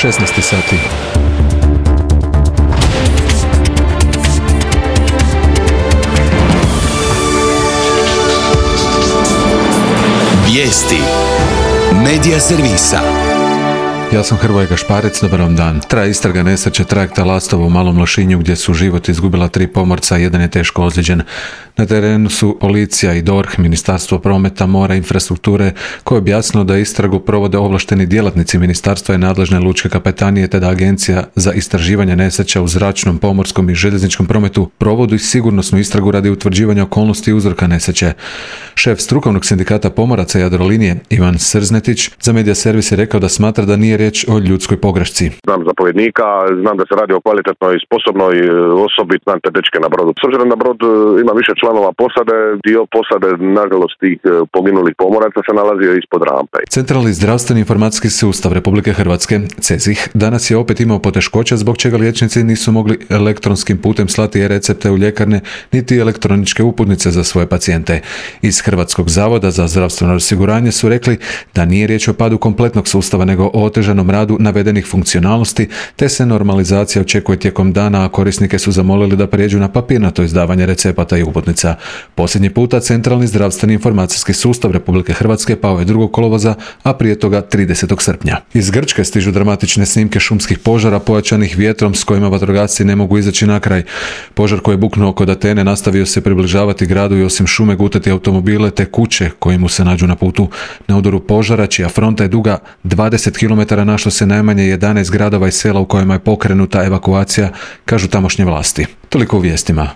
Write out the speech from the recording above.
16 sati. Vijesti Medija servisa. Ja sam Hrvoje Gašparec, dobar vam dan. Traje istraga nesreće trajekta Lastovo u Malom Lošinju gdje su život izgubila 3 pomorca, jedan je teško ozlijeđen. Na terenu su policija i DORH, Ministarstvo prometa, mora i infrastrukture, koje je objasnilo da istragu provode ovlašteni djelatnici ministarstva i nadležne lučke kapetanije, te da Agencija za istraživanje nesreća u zračnom, pomorskom i željezničkom prometu provodi sigurnosnu istragu radi utvrđivanja okolnosti i uzroka nesreće. Šef strukovnog sindikata pomoraca Jadrolinije, Ivan Srznetić, za Medija servis je rekao da smatra da nije riječ o ljudskoj pogrešci. Znam zapovjednika, znam da se radi o kvalitetnoj i sposobnoj osobi, znam te dečke na brodu. S obzirom da brod ima više članova posade, dio posade, nažalost, tih poginulih pomoraca se nalazio ispod rampe. Centralni zdravstveni informacijski sustav Republike Hrvatske, CEZIH, danas je opet imao poteškoća zbog čega liječnici nisu mogli elektronskim putem slati e-recepte u ljekarne niti elektroničke uputnice za svoje pacijente. Iz Hrvatskog zavoda za zdravstveno osiguranje su rekli da nije riječ o padu kompletnog sustava, nego o otežanom radu navedenih funkcionalnosti, te se normalizacija očekuje tijekom dana, a korisnike su zamolili da prijeđu na papirnato izdavanje recepata i uputnica. Posljednji puta Centralni zdravstveni informacijski sustav Republike Hrvatske pao je 2. kolovoza, a prije toga 30. srpnja. Iz Grčke stižu dramatične snimke šumskih požara pojačanih vjetrom s kojima vatrogasci ne mogu izaći na kraj. Požar koji je buknuo kod Atene nastavio se približavati gradu i osim šume gutati automobile te kuće koje mu se nađu na putu. Na udaru požara, čija fronta je duga 20 km, našlo se najmanje 11 gradova i sela u kojima je pokrenuta evakuacija, kažu tamošnje vlasti. Toliko u vijestima.